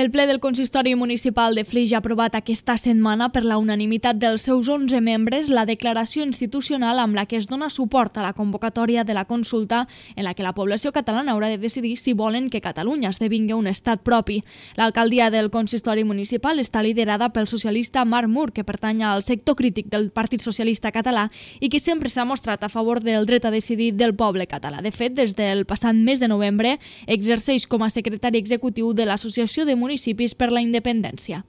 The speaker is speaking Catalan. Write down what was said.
El ple del Consistori Municipal de Flix ha aprovat aquesta setmana per la unanimitat dels seus 11 membres la declaració institucional amb la que es dona suport a la convocatòria de la consulta en la que la població catalana haurà de decidir si volen que Catalunya esdevingui un estat propi. L'alcaldia del Consistori Municipal està liderada pel socialista Marc Mur, que pertany al sector crític del Partit Socialista Català i que sempre s'ha mostrat a favor del dret a decidir del poble català. De fet, des del passat mes de novembre exerceix com a secretari executiu de l'Associació de Municipis per la Independència.